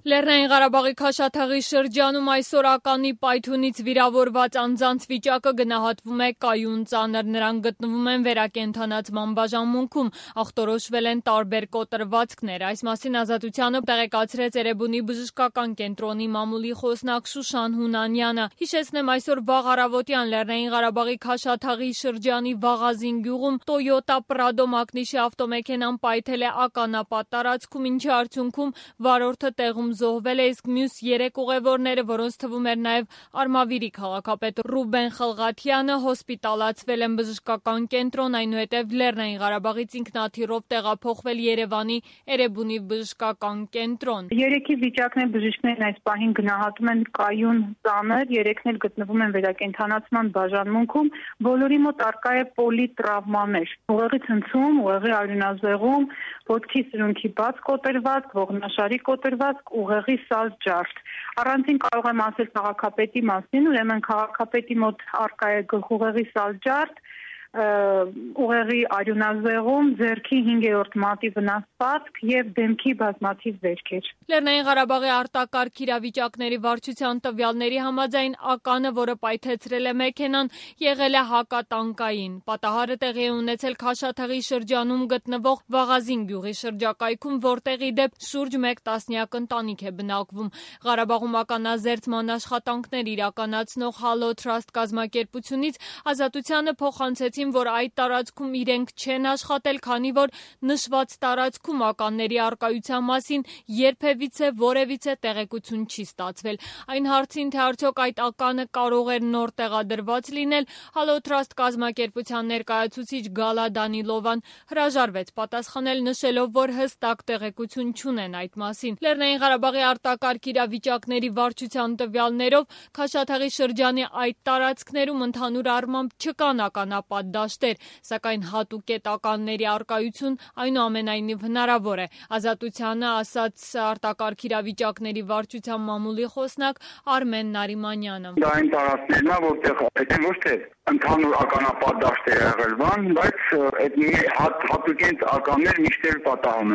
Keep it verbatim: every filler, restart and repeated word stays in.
Լեռնային Ղարաբաղի Քաշաթաղի շրջանում այսօր ականի պայթյունից վիրավորված անձանց վիճակը գնահատվում է կայուն ծանր, նրանք գտնվում են վերակենդանացման բաժանմունքում, ախտորոշվել են տարբեր կոտրվածքներ, այս մասին Ազատությանը տեղեկացրեց Էրեբունի բժշկական կենտրոնի մամուլի խոսնակ Շուշան Հունանյանը, հիշեցնեմ այսօր վաղ առավոտյան Լեռնային Ղարաբաղի Քաշաթաղի շրջանի Վաղազին գյուղում Toyota Prado մակնիշի ավտոմեքենան պայթել է ականապատ տարածքում, ինչի արդյունքում վարորդը տեղում զոհվել է, իսկ մյուս երեք ուղևորները, որոնց թվում էր նաև Արմավիրի քաղաքապետ Ռուբեն Խլղաթյանը, հոսպիտալացվել են բժշկական կենտրոն, այնուհետև Լեռնային Ղարաբաղից ինքնաթիռով տեղափոխվել Երևանի Էրեբունի բժշկական կենտրոն։ Երեքի վիճակն է բժիշկներն այս պահին գնահատում են կայուն ծանր, երեքն էլ գտնվում են վերակենդանացման բաժանմունքում, բոլորի մոտ առկա է պոլիտրավմաներ, ուղեղի ցնցում, ուղեղի արյունազեղում, ոտքի սրունքի բաց կոտրվածք, ողնաշարի կոտրվածք, ուղեղի սալ ջարդ։ Առանցին կարող եմ ասել քաղաքապետի մասին, ուրեմն քաղաքապետի մոտ առկա է գլխուղեղի սալ ջարդ, ուղեղի արյունազեղում, ձեռքի հինգերորդ մատի վնասվածք եւ դեմքի բազմաթիվ վերքեր։ Լեռնային Ղարաբաղի արտակարգ իրավիճակների վարչության տվյալների համաձայն ականը, որը պայթեցրել է մեքենան, եղել է հակատանկային։ Պատահարը տեղի է ունեցել Քաշաթաղի շրջանում գտնվող Վաղազին գյուղի շրջակայքում, որտեղ ի դեպ շուրջ մեկ տասնյակ ընտանիք է բնակվում։ Ղարաբաղում ականազերծման աշխատանքներ իրականացնող Halo Trust կազմակերպությունից Ազատությանը փոխանցեցին, որ այդ տարածքում իրենք չեն աշխատել, քանի որ նշված տարածքում ականների առկայության մասին երբևիցե որևիցե տեղեկություն չի ստացվել։ Այն հարցին, թե արդյոք այդ ականը կարող էր նոր տեղադրված լինել, Halo Trust կազմակերպության ներկայացուցիչ Գալա Դանիլովան հրաժարվեց պատասխանել, նշելով, որ հստակ տեղեկություն չունեն այդ մասին։ Լեռնային Ղարաբաղի արտակարգ իրավիճակների վարչության տվյալներով Քաշաթաղի շրջանի այդ տարածքներում ընդհանուր առմամբ չկան ականապատ դաշտեր, սակայն հատուկետ ականների առկայություն այնուամենայնիվ հնարավոր է։ Ազատությանը ասաց արտակարգ իրավիճակների վարչության մամուլի խոսնակ Արմեն Նարիմանյանը։ Դա այն տարածքներն է, որտեղ այդ ոչ թե ընդհանուր ականապատ դաշտ է եղել, բայց այդ հատուկենտ ականներ միշտ էլ պատահում են։